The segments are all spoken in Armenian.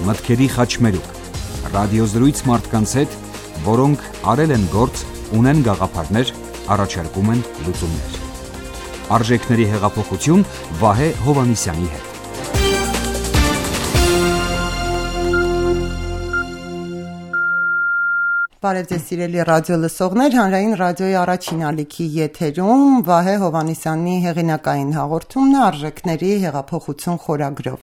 մտքերի խաչմերուկ, ռադիոզրույց մարդկանց հետ, որոնք արել են գործ, ունեն գաղափարներ, առաջարկում են լուծումներ։ Արժեքների հեղափոխություն Վահե Հովհաննիսյանի հետ։ Բարև ձեզ սիրելի ռադիո լսողներ, հանրային ռադիոյի առաջին ալիքի եթերում Վահե Հովհաննիսյանի հեղինակային հաղորդումն է արժեքների հեղափոխություն խորագրով։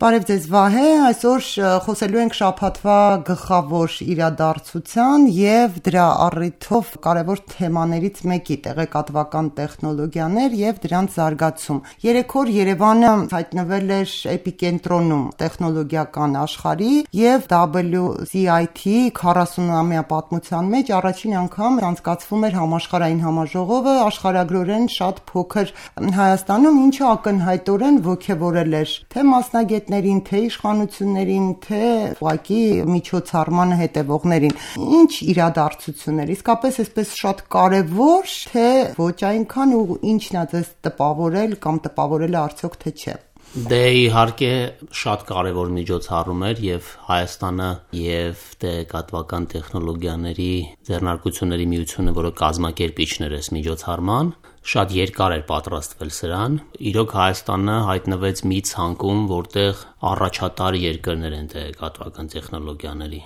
Բարև ձեզ Վահե, այսօր խոսելու ենք շաբաթվա գլխավոր իրադարձության եւ դրա առիթով կարևոր թեմաներից մեկի՝ տեղեկատվական տեխնոլոգիաներ եւ դրանց զարգացում։ Երեք օր Երևանը հայտնվել էր էպիկենտրոնում տեխնոլոգիական աշխարհի եւ WCIT 40-ամյա պատմության մեջ առաջին անգամ անցկացվում էր համաշխարհային համաժողովը աշխարհագրորեն շատ փոքր Հայաստանում, ինչը ակնհայտորեն ոգևորել էր թե մասնագետներին, թե իշխանություններին, թե ուղղակի միջոցառմանը հետևողներին։ Ինչ իրադարձություններ, իսկապես այսպես շատ կարևոր, թե ոչ այնքան ու ինչն է ձեզ տպավորել կամ տպավորել է արդյոք թե չէ։ Դե իհարկե շատ կարևոր միջոցառում էր եւ Հայաստանը եւ տեղեկատվական տեխնոլոգիաների ձեռնարկությունների միությունը, որը կազմակերպիչն էր այս միջոցառման, շատ երկար էր պատրաստվել սրան։ Իրոք Հայաստանը հայտնվեց մի ցանկում, որտեղ առաջատար երկրներ են տեղեկատվական տեխնոլոգիաների։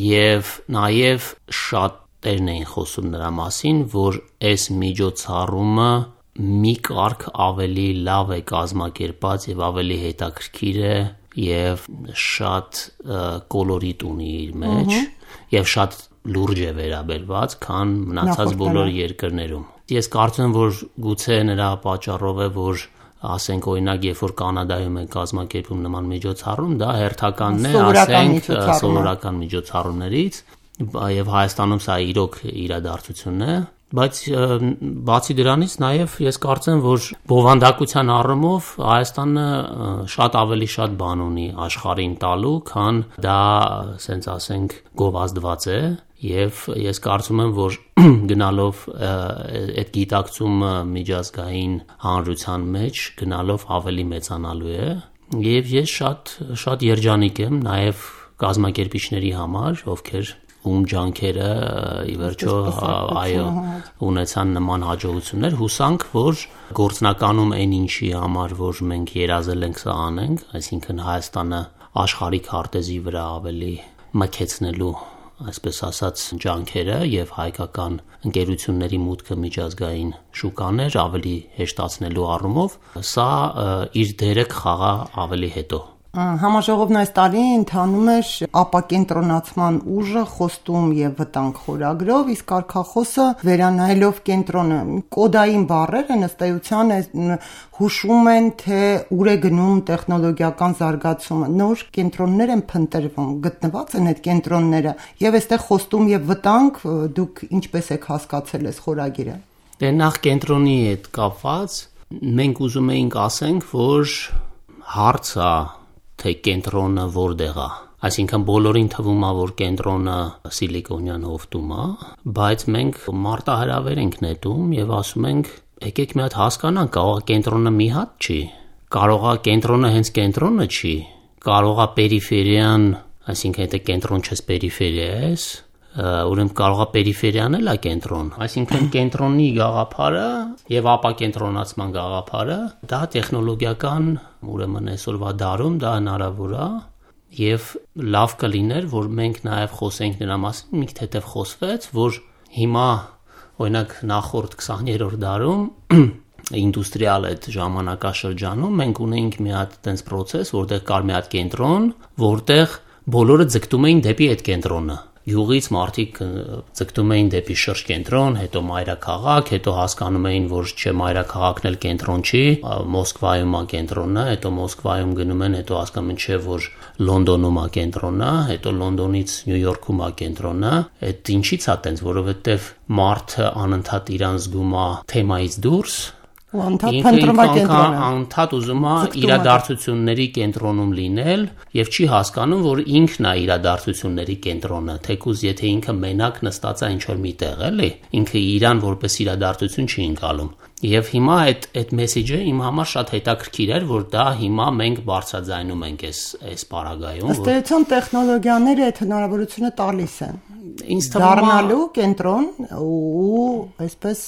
Եվ նաեւ շատերն էին խոսում նրա մասին, որ այս միջոցառումը մի կարգ ավելի լավ է կազմակերպած եւ ավելի հետաքրքիր է եւ շատ կոլորիտ ունի իր մեջ եւ շատ լուրջ է վերաբերված, քան մնացած բոլոր երկրներում։ Ես կարծում եմ, որ գուցե նրա պատճառով է, որ ասենք օրինակ, երբ որ Կանադայում է կազմակերպում նման միջոցառում, դա հերթականն է, ասենք, սովորական միջոցառումներից, եւ Հայաստանում սա իրոք իրադարձություն է, բայց բացի դրանից նաև ես կարծում եմ, որ բովանդակության առումով Հայաստանը շատ ավելի շատ բան ունի աշխարհին տալու, քան դա, ասենք ասենք, գովազդված է, եւ ես կարծում եմ, որ գնալով այդ գիտակցումը միջազգային հանրության մեջ գնալով ավելի մեծանալու է, եւ ես շատ երջանիկ եմ նաև կազմակերպիչների համար, ովքեր ում ջանքերը ի վերջո այո ունեցան նման հաջողություններ, հուսանք, որ գործնականում այն ինչի համար, որ մենք երազել ենք սա անենք, այսինքն Հայաստանը աշխարհի քարտեզի վրա ավելի մաքեցնելու, այսպես ասած, ջանքերը եւ հայկական ընկերությունների մուտքը միջազգային շուկաներ ավելի հեշտացնելու առումով, սա իր դերը կխաղա ավելի հետո։ Համաժողովն այս տարի ընթանում էր ապակենտրոնացման ուժը, խոստում եւ վտանգ խորագրով, իսկ կարգախոսը վերանայելով կենտրոնը։ Կոդային բառերը ըստ էության հուշում են, թե ուր է գնում տեխնոլոգիական զարգացումը։ Նոր կենտրոններ են փնտրվում, գտնված են այդ կենտրոնները, եւ այստեղ խոստում եւ վտանգ դուք ինչպես եք հասկացել այս խորագիրը։ Դե նախ կենտրոնի հետ կապված մենք ուզում էինք ասենք, որ հարցը թե կենտրոնը որտեղ է, այսինքն բոլորին թվում է, որ կենտրոնը Սիլիկոնյան հովտում է, բայց մենք մարտահրավեր ենք նետում եւ ասում ենք, եկեք մի հատ հասկանանք, կարող է կենտրոնը մի հատ չի, կարող է կենտրոնը հենց կենտրոնը չի, կարող է պերիֆերիան, այսինքն եթե կենտրոն չես պերիֆերիա ես, ուրեմն կարող է պերիֆերիան էլ է կենտրոն, այսինքն կենտրոնի գաղափարը եւ ապակենտրոնացման գաղափարը դա տեխնոլոգիական, ուրեմն այսօրվա դարում դա հնարավոր է եւ լավ կլիներ, որ մենք նաեւ խոսենք նրա մասին, մի թեթև խոսվեց, որ հիմա օրինակ նախորդ 20-րդ դարում ինդուստրիալ այդ ժամանակաշրջանում մենք ունեինք մի հատ տենց process, որտեղ կար մի հատ կենտրոն, որտեղ բոլորը ձգտում էին դեպի այդ կենտրոնը։ Յուղից մարդիկ ձգտում էին դեպի շրջկենտրոն, հետո մայրաքաղաք, հետո հասկանում էին, որ չէ մայրաքաղաքն էլ կենտրոն չի, Մոսկվայում է կենտրոնը, հետո Մոսկվայում գնում են, հետո հասկանում են, չէ, որ Լոնդոնում է կենտրոնը, հետո Լոնդոնից Նյու Յորքում է կենտրոնը։ Այդ ինչի՞ց է տենց, որովհետև մարդը անընդհատ իրան զգում է թեմայից դուրս, անդադ ուզում է իրադարձությունների կենտրոնում լինել եւ չի հասկանում, որ ինքն է իրադարձությունների կենտրոնը, թեկուզ եթե ինքը մենակ նստած է ինչ-որ միտեղ, էլի, ինքը իրան որպես իրադարձություն չի ընկալում։ Եվ հիմա այդ մեսեջը իմ համար շատ հետաքրքիր էր, որ դա հիմա մենք բարձրաձայնում ենք այս պարագայում։ Ըստ էության տեխնոլոգիաները այդ հնարավորությունը տալիս են։ Ինձ թվում է դառնալու կենտրոն ու այսպես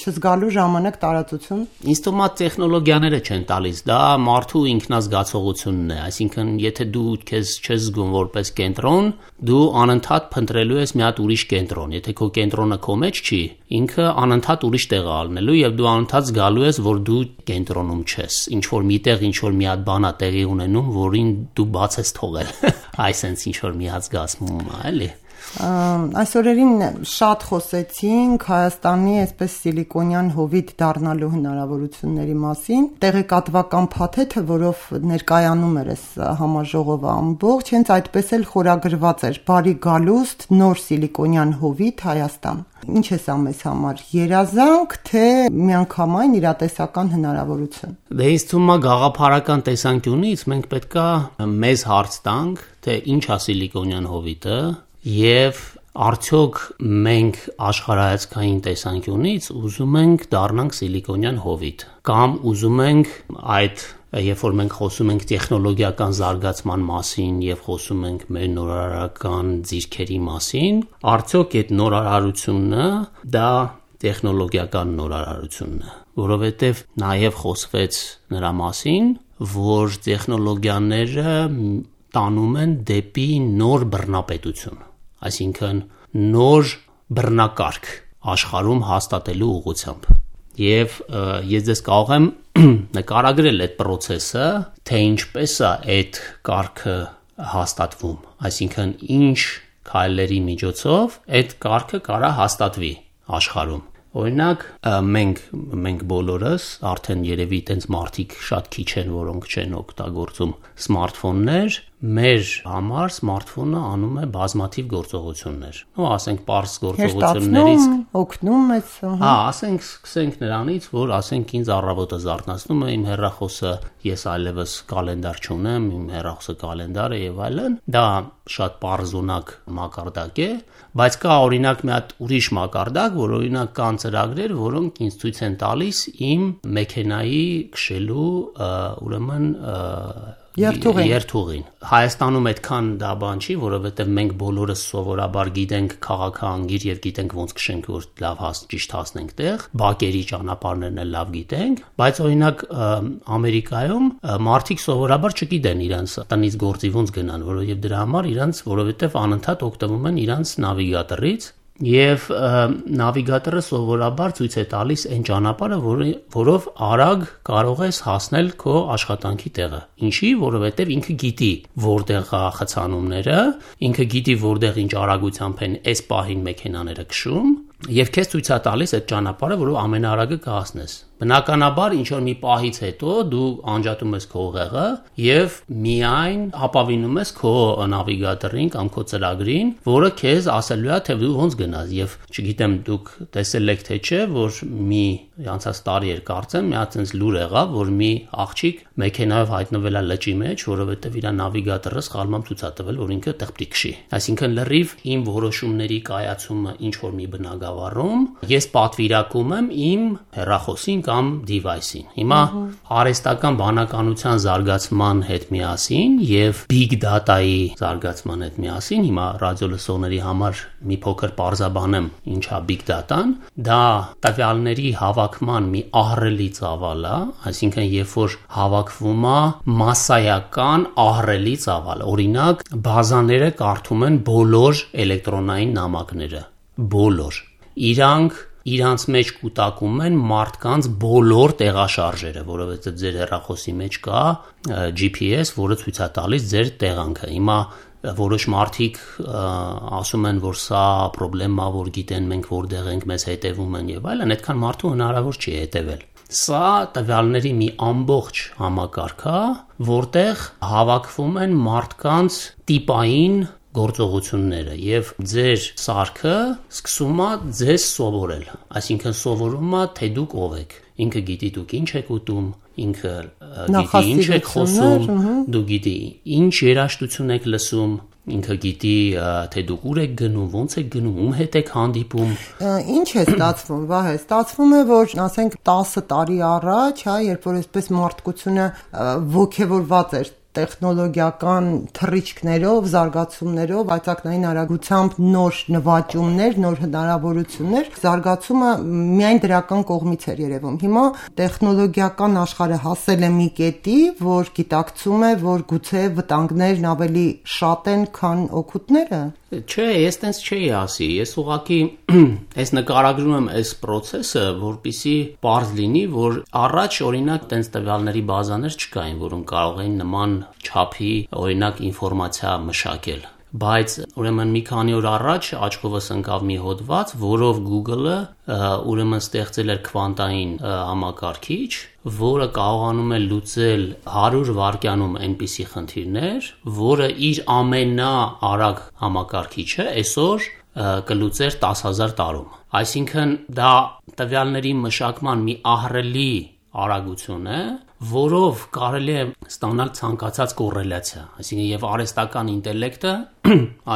չզգալու ժամանակ տարածություն։ Ինձ թվում է տեխնոլոգիաները չեն տալիս, դա մարդու ինքնազգացողությունն է, այսինքն եթե դու քեզ չես զգում որպես կենտրոն, դու անընդհատ փնտրելու ես մի հատ ուրիշ կենտրոն, եթե քո կենտրոնը քո մեջ չի, ինքը անընդհատ ուրիշ տեղ է ալնելու եւ դու անընդհատ զգալու ես, որ դու կենտրոնում չես, ինչ որ միտեղ ինչ որ մի հատ բան է տեղի ունենում, որին դու բաց ես թողել, այսինքն ինչ որ մի հատ զգացում է, էլի։ Այս օրերին շատ խոսեցինք Հայաստանի այսպես սիլիկոնյան հովիտ դառնալու հնարավորությունների մասին, տեղեկատվական փաթեթը, որով ներկայանում էր այս համաժողովը ամբողջ, հենց այդպես էլ խորագրված էր՝ բարի գալուստ նոր սիլիկոնյան հովիտ Հայաստան։ Ինչ է սա մեզ համար, երազանք, թե միանգամայն իրատեսական հնարավորություն։ Դե ինձ թվում է գաղափարական տեսանկյունից մենք պետքա մեզ հարց տանք, թե ինչ է սիլիկոնյան հովիտը եւ արդյոք մենք աշխարհայացքային տեսանկյունից ուզում ենք դառնանք սիլիկոնյան հովիտ կամ ուզում ենք այդ երբ որ մենք խոսում ենք տեխնոլոգիական զարգացման մասին եւ խոսում ենք մեր նորարարական ձիրքերի մասին, արդյոք այդ նորարարությունը դա տեխնոլոգիական նորարարությունն է, որովհետեւ նաեւ խոսվեց նրա մասին, որ տեխնոլոգիաները տանում են դեպի նոր բռնապետություն, այսինքն նոր բռնակարգ աշխարհում հաստատելու ուղղությամբ։ Եվ ես ձեզ կարող եմ նկարագրել այդ process-ը, թե ինչպես է այդ կարգը հաստատվում, այսինքն ինչ քայլերի միջոցով այդ կարգը կարա հաստատվի աշխարհում։ Օրինակ մենք բոլորս արդեն երևի տենց մարդիկ շատ քիչ են, որոնք չեն օգտագործում սմարթֆոններ, մեր համար սմարթֆոնը անում է բազմաթիվ գործողություններ։ Ու ասենք պարզ գործողություններից օգնում է։ Հա, ասենք սկսենք նրանից, որ ասենք ինձ առավոտը զարթացնում է իմ հեռախոսը, ես այլևս կալենդար չունեմ, իմ հեռախոսը կալենդար է եւ այլն։ Դա շատ պարզունակ մակարդակ է, բայց կա օրինակ մի հատ ուրիշ մակարդակ, որ օրինակ կան ծրագրեր, որոնք ինձ ցույց են տալիս իմ մեքենայի քշելու ուրեմն երթուղին։ Հայաստանում այդքան դա բան չի, որովհետև մենք բոլորս սովորաբար գիտենք քաղաքահանգիր եւ գիտենք ոնց քշենք, որ լավ ճիշտ հասնենք տեղ, բակերի ճանապարհներն էլ լավ գիտենք, բայց օրինակ Ամերիկայում մարդիկ սովորաբար չգիտեն իրանց տնից գործի ոնց գնան, որովհետև դրա համար իրանց որովհետև անընդհատ օգտվում են իրանց նավիգատորից Եվ նավիգատորը սովորաբար ցույց է տալիս այն ճանապարհը, որով արագ կարող ես հասնել քո աշխատանքի տեղը։ Ինչի, որովհետև ինքը գիտի որտեղ է խցանումները, ինքը գիտի որտեղ ինչ արագությամբ են այս պահին մեքենաները քշում, եւ քեզ ցույց է տալիս այդ ճանապարհը, որով ամենաարագը կհասնես։ Բնականաբար ինչ որ մի պահից հետո դու անջատում ես քո ուղեղը եւ միայն ապավինում ես քո նավիգատորին կամ քո ծրագրին, որը քեզ ասելու է թե դու ոնց գնաս եւ չգիտեմ դուք տեսել եք թե չէ, որ մի անցած տարի էր կարծեմ, մի հատ այնպես լուր եղավ, որ մի աղջիկ մեքենայով հայտնվել է լճի մեջ, որովհետեւ իր նավիգատորը սխալմամբ ցույց է տվել, որ ինքը տեղ պիտի քշի։ Այսինքն լրիվ իմ որոշումների կայացումը ինչ որ մի բնակավարում ես պատվիրակում եմ իմ հեռախոսին կամ device-ին։ Հիմա արհեստական բանականության զարգացման հետ միասին եւ big data-ի զարգացման հետ միասին հիմա ռադիոլսողների համար մի փոքր պարզաբանեմ ինչա big data-ն, դա տվյալների հավաքման մի ահռելի ծավալ է, այսինքն երբ որ հավաքվում է մասսայական ահռելի ծավալ, օրինակ բազաները կարդում են բոլոր էլեկտրոնային նամակները, բոլոր իրանց մեջ կուտակում են մարդկանց բոլոր տեղաշարժերը, որովհետև ձեր հեռախոսի մեջ կա GPS, որը ցույց է տալիս ձեր տեղանքը։ Հիմա որոշ մարդիկ ասում են, որ սա խնդրեմ է, որ գիտեն մենք որտեղ ենք, մեզ հետևում են եւ այլն, այդքան մարդու հնարավոր չի հետևել։ Սա տվյալների մի ամբողջ համակարգ է, որտեղ հավաքվում են մարդկանց տիպային գործողությունները եւ ձեր սարքը սկսում է ձեզ սովորել, այսինքն սովորում է թե դուք ով եք, ինքը գիտի դուք ինչ եք ուտում, ինքը գիտի ինչ եք խոսում, դու գիտի ինչ երաժշտություն եք լսում, ինքը գիտի թե դուք ուր եք գնում, ոնց եք գնում, ում հետ եք հանդիպում։ Ինչ է ստացվում, Վահե, ստացվում է, որ ասենք 10 տարի առաջ, հա, երբ որ այսպես մարդկությունը ոգևորված էր տեխնոլոգիական թռիչքներով, զարգացումներով, այցակնային արագությամբ նոր նվաճումներ, նոր հնարավորություններ, զարգացումը միայն դրական կողմից էր երևում։ Հիմա տեխնոլոգիական աշխարհը հասել է մի կետի, որ գիտակցում է, որ գուցե վտանգներն ավելի շատ են, քան օգուտները։ Չէ, ես տենց չէի ասի, ես ուղղակի ես նկարագրում եմ այս process-ը, որպեսզի պարզ լինի, որ առաջ օրինակ տենց տվյալների բազաներ չկային, որոնք կարող էին նման չափի օրինակ ինֆորմացիա մշակել։ Բայց ուրեմն մի քանի օր առաջ աչքովս ընկավ մի հոդված, որով Google-ը ուրեմն ստեղծել էր քվանտային համակարգիչ, որը կարողանում է լուծել 100 վայրկյանում այնպիսի խնդիրներ, որը իր ամենաարագ համակարգիչը այսօր կլուծեր 10,000 տարում։ Այսինքն դա տվյալների մշակման մի ահռելի արագություն է, որով կարելի է ստանալ ցանկացած կոռելացիա, այսինքն եւ արհեստական ինտելեկտը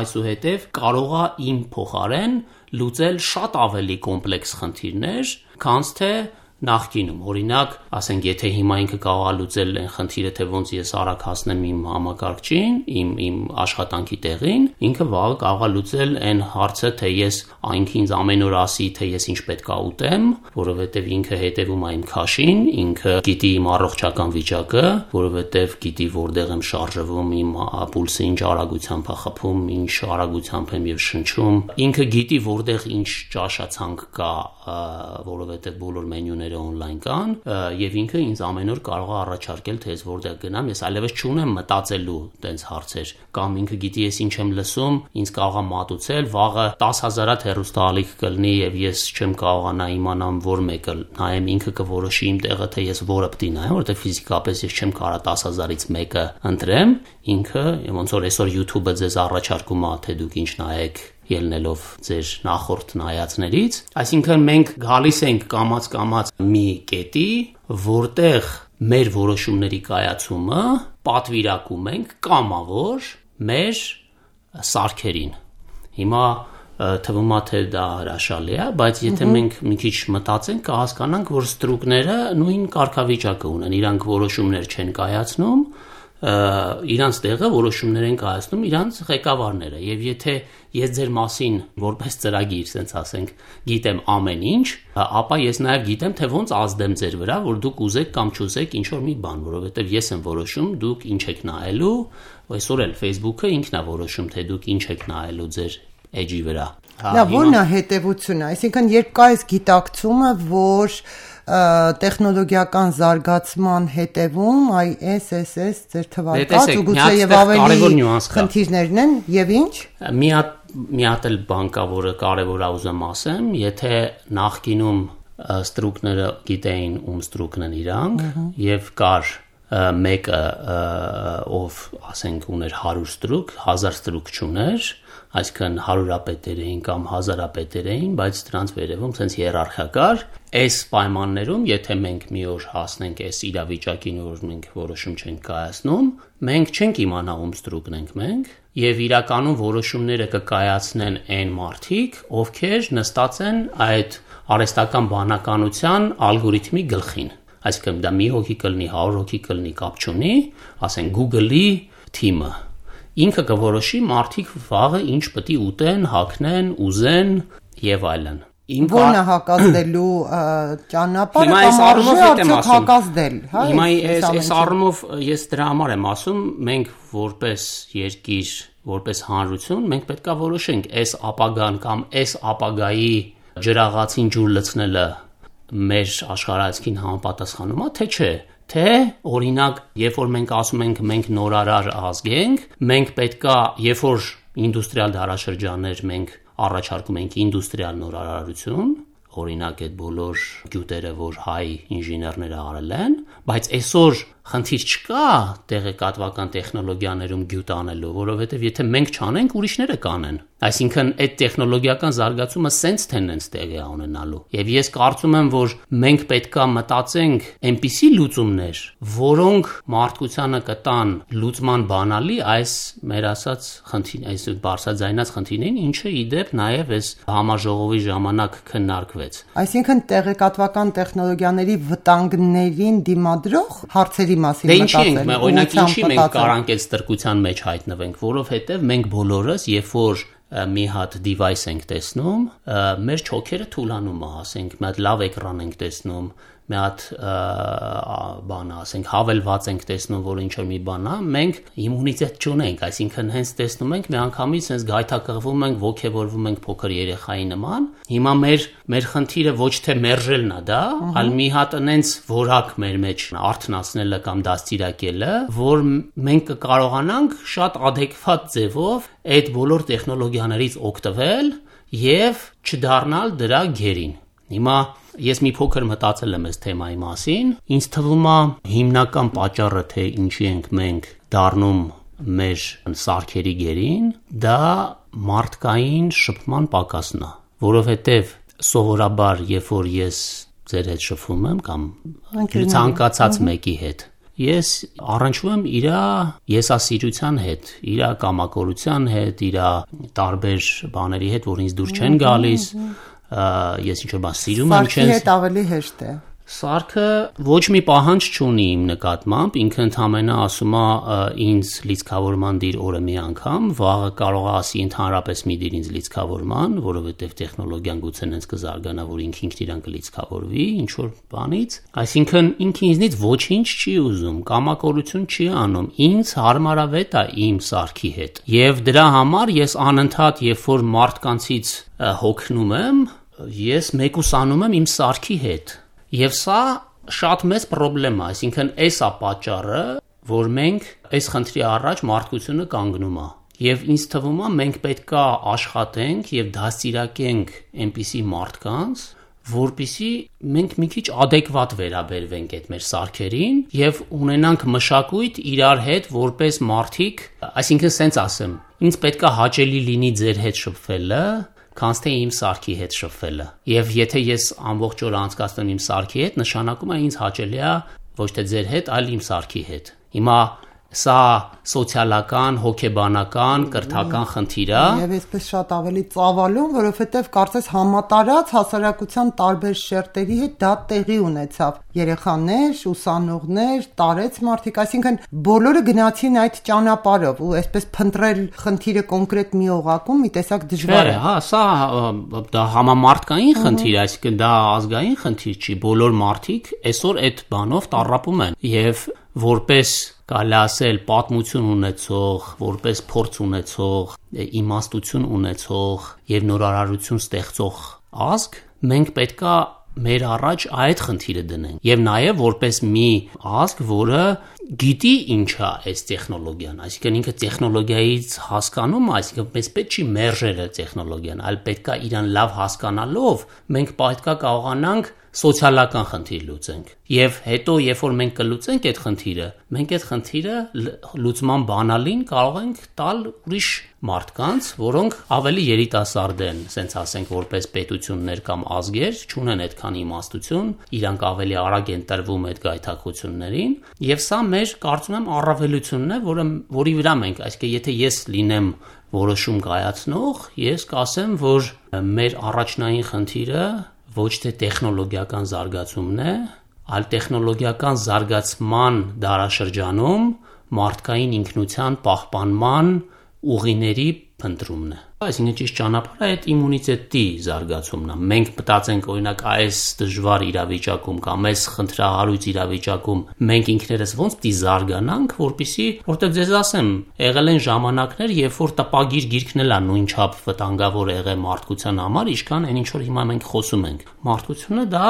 այսուհետև կարող է իմ փոխարեն լուծել շատ ավելի կոմպլեքս խնդիրներ, քան թե նախկինում, օրինակ, ասենք, եթե հիմա ինքը կարող է լուծել այն խնդիրը, թե ոնց ես արագ հասնեմ իմ համակարգչին, իմ աշխատանքի տեղին, ինքը վաղը կարող է լուծել այն հարցը, թե ես ինքը ինձ ամեն օր ասի, թե ես ինչ պետք է ուտեմ, որովհետև ինքը հետևում է իմ քաշին, ինքը գիտի իմ առողջական վիճակը, որովհետև գիտի որտեղ եմ շարժվում, իմ պուլսը ինչ արագությամբ է խփում, ինչ արագությամբ եմ եւ շնչում, ինքը գիտի որտեղ ինչ ճաշացանկ կա, որովհետև բոլոր մենյուները on-line կան եւ ինքը ինձ ամեն օր կարող է առաջարկել թե ես որտեղ գնամ, ես այլևս չունեմ մտածելու տենց հարցեր, կամ ինքը գիտի ես ինչ եմ լսում, ինձ կարող է մատուցել, վաղը 10,000-ատ հեռուստաալիք կլինի եւ ես չեմ կարողանա իմանամ որ մեկը նայեմ, ինքը կորոշի իմ տեղը թե ես որը պետք է նայեմ, որովհետեւ ֆիզիկապես ես չեմ կարող 10,000-ից մեկը ընտրեմ, ինքը ոնց որ այսօր YouTube-ը ձեզ առաջարկում է թե դուք ինչ նայեք ելնելով ձեր նախորդ նայածներից, այսինքն մենք գալիս ենք կամաց մի կետի, որտեղ մեր որոշումների կայացումը պատվիրակում ենք կամավոր մեր սարքերին։ Հիմա թվում է թե դա հրաշալի է, բայց եթե մենք մի քիչ մտածենք, կհասկանանք, որ ստրուկները նույն կարգավիճակը ունեն, իրանք որոշումներ չեն կայացնում, իրանց տեղը որոշումներ են կայացնում իրանց ղեկավարները եւ եթե ես ձեր մասին որպես ծրագիր, ասենց ասենք, գիտեմ ամեն ինչ, ապա ես նաեւ գիտեմ թե ոնց ազդեմ ձեր վրա, որ դուք ուզեք կամ չուզեք ինչ որ մի բան, որովհետեւ ես եմ որոշում դուք ինչ եք նայելու, այսօր էլ Facebook-ը ինքն է որոշում թե դուք ինչ եք նայելու ձեր էջի վրա։ Դա ո՞րն է հետևությունը, այսինքն երբ կա այս գիտակցումը, որ տեխնոլոգիական զարգացման հետևում ISSS ձեր թվարկած ու գուցե եւ ավելի խնդիրներն են եւ ինչ մի հատ էլ բան կա, որը կարեւոր է ուզեմ ասեմ, եթե նախկինում ստրուկները գիտեին ում ստրուկն են իրանք եւ կար մեկը ով ասենք ուներ 100 ստրուկ, 1000 ստրուկ չուներ, այսինքն 100-ապետեր էին կամ 1000-ապետեր էին, բայց դրանց վերևում sense հիերարխիա կար։ Այս պայմաններում, եթե մենք մի օր հասնենք այս իրավիճակին, որ մենք որոշում չենք կայացնում, մենք չենք իմանա ում ստրուկն ենք մենք, եւ իրականում որոշումները կկայացնեն այն մարդիկ, ովքեր նստած են այդ արհեստական բանականության ալգորիթմի գլխին։ Այսինքն դա մի հոգի կլինի, 100 հոգի կլինի, կապ չունի, ասենք Google-ի թիմը ինքը կորոշի մարդիկ վաղը ինչ պետք է ուտեն, հագնեն, ուզեն եւ այլն։ Որն է հակազդելու ճանապարհը կամ արդյոք հակազդել, հա։ Հիմա այս առումով ես դրա համար եմ ասում, մենք որպես երկիր, որպես հանրություն, մենք պետք է որոշենք այս ապագան կամ այս ապագայի ջրաղացին ջուր լցնելը մեր աշխարհայացքին համապատասխանում է, թե չէ։ Թե օրինակ, երբ որ մենք ասում ենք մենք նորարար ազգ ենք, մենք պետքա, երբ որ ինդուստրիալ դարաշրջաններ մենք առաջարկում ենք ինդուստրիալ նորարարություն, օրինակ այդ բոլոր գյուտերը, որ հայ ինժեներները արել են, բայց այսօր խնդիր չկա տեղեկատվական տեխնոլոգիաներում գյուտ անելու, որովհետև եթե մենք չանենք, ուրիշները կանեն։ Այսինքն այդ տեխնոլոգիական զարգացումը սենց տենդենս տեղի է ունենալու։ Եվ ես կարծում եմ, որ մենք պետքա մտածենք այնպիսի լուծումներ, որոնք մարդկությանը կտան լուծման բանալի այս մեր ասած խնդիր, այս բարձրաձայնած խնդիրներին, ինչը ի դեպ նաև այս համաժողովի ժամանակ քննարկվեց։ Այսինքն տեղեկատվական տեխնոլոգիաների վտանգներին դիմադրող հարցերի մասին մտածել։ Օրինակ ինչի մենք կարանք այդ ստրկության մեջ հայտնվենք, որովհետև մենք բոլորս, երբ որ մի հատ device ենք տեսնում, մեր չոքերը թուլանում է, ասենք, մի հատ լավ էկրան ենք տեսնում, մի հատ բան ասենք, հավելված ենք տեսնում, որ ինչ-որ մի բան է, մենք իմունիտետ չունենք, այսինքն հենց տեսնում ենք, մի անգամից հենց գայթակղվում ենք, ոգևորվում ենք փոքր երեխայի նման։ Հիմա մեր խնդիրը ոչ թե մերժելն է դա, այլ մի հատ այնց որակ մեր մեջ արթնացնելը կամ դաստիարակելը, որ մենք կկարողանանք շատ adekvat ձևով այդ բոլոր տեխնոլոգիաներից օգտվել եւ չդառնալ դրա գերին։ Հիմա ես մի փոքր մտածել եմ այս թեմայի մասին, ինձ թվում է հիմնական պատճառը, թե ինչի ենք մենք դառնում մեր սարքերի գերին, դա մարդկային շփման պակասն է, որովհետև սովորաբար, երբ որ ես ձեր հետ շփվում եմ կամ ցանկացած մեկի հետ, ես առնչվում եմ իր եսասիրության հետ, իր կամակորության հետ, իր տարբեր բաների հետ, որ ինձ դուր չեն գալիս, ես ինչ-որ բան սիրում եմ, Սարքի հետ ավելի հեշտ է։ Սարքը ոչ մի պահանջ չունի իմ նկատմամբ, ինքը ընդհանրապես ասում է ինձ լիցքավորման դիր օրը մի անգամ, վաղը կարող է ասի ընդհանրապես մի դիր ինձ լիցքավորման, որովհետև տեխնոլոգիան գուցե ինձ կզարգանա, որ ինքն իրան կլիցքավորվի ինչ-որ բանից, այսինքն ինքը ինձնից ոչինչ չի ուզում, կամակորություն չի անում, ինձ հարմարավետ է իմ սարքի հետ։ Եվ դրա համար ես անընդհատ, երբ որ մարդկանցից հոգնում եմ, ես մեկուսանում եմ իմ սարքի հետ։ Եվ սա շատ մեծ խնդրեմ է, այսինքն այս է պատճառը, որ մենք այս խնդրի առաջ մարդկությունը կանգնում է։ Եվ ինձ թվում է մենք պետքա աշխատենք եւ դաստիարակենք այնպիսի մարդկանց, որպիսի մենք մի քիչ adekvat վերաբերվենք այդ մեր սարքերին եւ ունենանք մշակույթ իրար հետ որպես մարդիկ, այսինքն սենց ասեմ, ինձ պետքա հաճելի լինի ձեր հետ շփվելը, քանց թե իմ սարքի հետ շփվելը։ Եվ եթե ես ամբողջ օր անցկացնում իմ սարքի հետ, նշանակում է ինձ հաճելի է ոչ թե ձեր հետ, այլ իմ սարքի հետ։ Հիմա սա սոցիալական, հոգեբանական, կրթական խնդիր է։ Եվ այսպես շատ ավելի ծավալուն, որովհետև կարծես համատարած հասարակության տարբեր շերտերի հետ դա տեղի ունեցավ։ Երեխաներ, ուսանողներ, տարեց մարդիկ, այսինքն բոլորը գնացին այդ ճանապարհով ու այսպես փնտրել խնդիրը կոնկրետ մի օղակում մի տեսակ դժվար է։ Հա, սա դա համամարտկային խնդիր, այսինքն դա ազգային խնդիր չի։ Բոլոր մարդիկ այսօր այդ բանով տառապում են եւ որպես կարելի ասել պատմություն ունեցող, որպես փորձ ունեցող, իմաստություն ունեցող եւ նորարարություն ստեղծող ազգ, մենք պետքա մեր առաջ այդ խնդիրը դնենք եւ նաեւ որպես մի ազգ, որը գիտի ինչ է այս տեխնոլոգիան, այսինքն ինքը տեխնոլոգիայից հասկանում, այսինքն մեզ պետք չի մերժել տեխնոլոգիան, այլ պետքա իրան լավ հասկանալով մենք պետքա կարողանանք սոցիալական խնդիր լուծենք։ Եվ հետո, երբ որ մենք կլուծենք այդ խնդիրը, մենք այդ խնդիրը լուծման բանալին կարող ենք տալ ուրիշ մարդկանց, որոնք ավելի երիտասարդ են, ասենք ասենք որպես պետություններ կամ ազգեր, չունեն այդքան իմաստություն, իրանք ավելի արագ են տրվում այդ գայթակղություններին, եւ սա մեր կարծում եմ առավելությունն է, որի վրա մենք, այսինքն եթե ես լինեմ որոշում կայացնող, ես կասեմ, որ մեր առաջնային խնդիրը ոչ թե տեխնոլոգիական զարգացումն է, այլ տեխնոլոգիական զարգացման դարաշրջանում մարդկային ինքնության պահպանման ուղիների փնտրումն է։ Այսինքն ճիշտ ճանապարհը այդ իմունիտետի զարգացումն է։ Մենք մտածենք օրինակ այս դժվար իրավիճակում կամ այս խնդրահարույց իրավիճակում մենք ինքներս ոնց պիտի զարգանանք, որpիսի ձեզ ասեմ, եղել են ժամանակներ, երբ որ տպագիր գիրքն էլ է նույնչափ վտանգավոր եղել մարդկության համար, ինչքան այն ինչ որ հիմա մենք խոսում ենք։ Մարդկությունը դա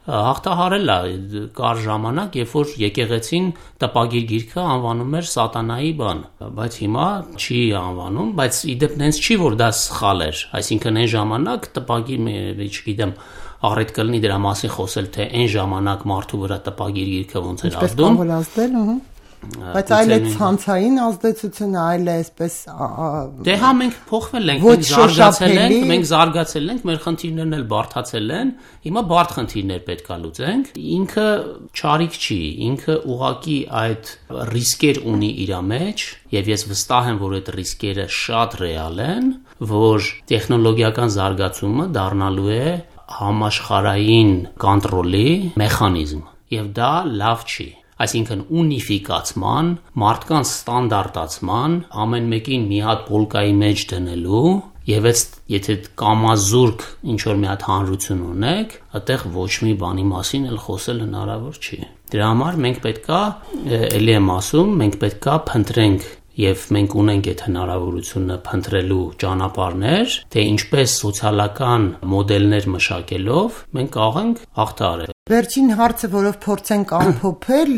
հաղթահարել է, կար ժամանակ, երբ որ եկեղեցին տպագիր գիրքը անվանում էր սատանայի բան, բայց հիմա չի անվանում, բայց իդեպ նենց չի, որ դա սխալ էր, այսինքն այն ժամանակ տպագիր, չգիտեմ, առիթ կլինի դրա մասին խոսել, թե այն ժամանակ մարդու վրա տպագիր գիրքը ոնց էր Ինչպես ազդում։ կարող ազդել, Բայց այլ է ցանցային ազդեցությունը, այլ է այսպես Դե հա մենք փոխվել ենք, մենք զարգացել ենք, մեր խնդիրներն էլ բարդացել են, հիմա բարդ խնդիրներ պետք է լուծենք։ Ինքը չարիք չի, ինքը ուղղակի այդ ռիսկեր ունի իր մեջ, եւ ես վստահ եմ, որ այդ ռիսկերը շատ ռեալ են, որ տեխնոլոգիական զարգացումը դառնալու է համաշխարհային կոնտրոլի մեխանիզմ, եւ դա լավ չի։ Այսինքն ունիֆիկացման, մարդկանց ստանդարտացման, ամեն մեկին մի հատ պոլկայի մեջ դնելու եւ եթե կամազուրկ ինչ որ մի հատ հանրություն ունեք, այդտեղ ոչ մի բանի մասին էլ խոսել հնարավոր չի։ Դրա համար մենք պետքա, ելի եմ ասում, մենք պետքա փնտրենք եւ մենք ունենք այդ հնարավորությունը փնտրելու ճանապարհներ, թե ինչպես սոցիալական մոդելներ մշակելով մենք կարող ենք հաղթահարել։ Վերջին հարցը, որով փորձենք ամփոփել,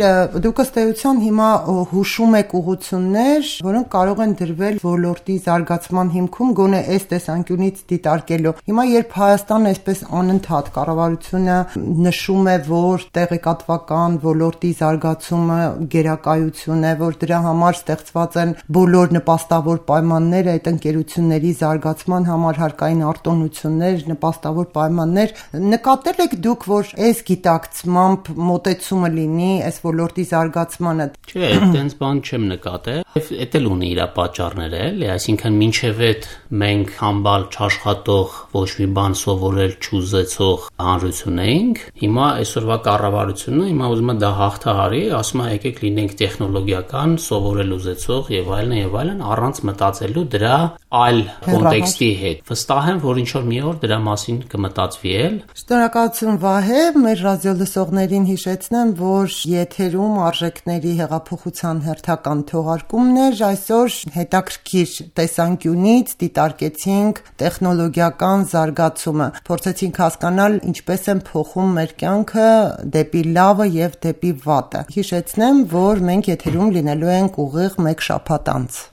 դուք ըստ էության հիմա հուշում եք ուղղություններ, որոնք կարող են դրվել ոլորտի զարգացման հիմքում, գոնե այս տեսանկյունից դիտարկելով։ Հիմա երբ Հայաստանը այսպես անընդհատ կառավարությունը նշում է, որ տեղեկատվական ոլորտի զարգացումը գերակայություն է, որ դրա համար ստեղծված են բոլոր նպաստավոր պայմանները, այդ ընկերությունների զարգացման համար հարկային արտոնություններ, նպաստավոր պայմաններ, նկատել եք դուք, որ այս գիտակցմամբ մոտեցումը լինի այս ոլորտի զարգացմանը։ Չէ, այդտենց բան չեմ նկատել։ Էդ էլ ունի իր պատճառները, էլի, այսինքն մինչև այդ մենք համբալ չաշխատող, ոչ մի բան սովորել չուզեցող հանրություն էինք։ Հիմա այսօրվա կառավարությունը հիմա ուզում է դա հաղթահարի, ասում է եկեք լինենք տեխնոլոգիական, սովորել ուզեցող եւ այլն, առանց մտածելու դրա այլ կոնտեքստի հետ։ Վստահ եմ, որ ինչ որ մի օր դրա մասին կմտածվի էլ։ Շնորհակալություն Վահե, մեր ռադիոլսողներին հիշեցնեմ, որ եթերում արժեքների հեղափոխության հերթական թողարկումներ, այսօր հետաքրքիր տեսանկյունից դիտարկեցինք տեխնոլոգիական զարգացումը, փորձեցինք հասկանալ ինչպես են փոխում մեր կյանքը դեպի լավը եւ դեպի վատը։ Հիշեցնեմ, որ մենք եթերում լինելու ենք ուղիղ 1 շաբաթ անց։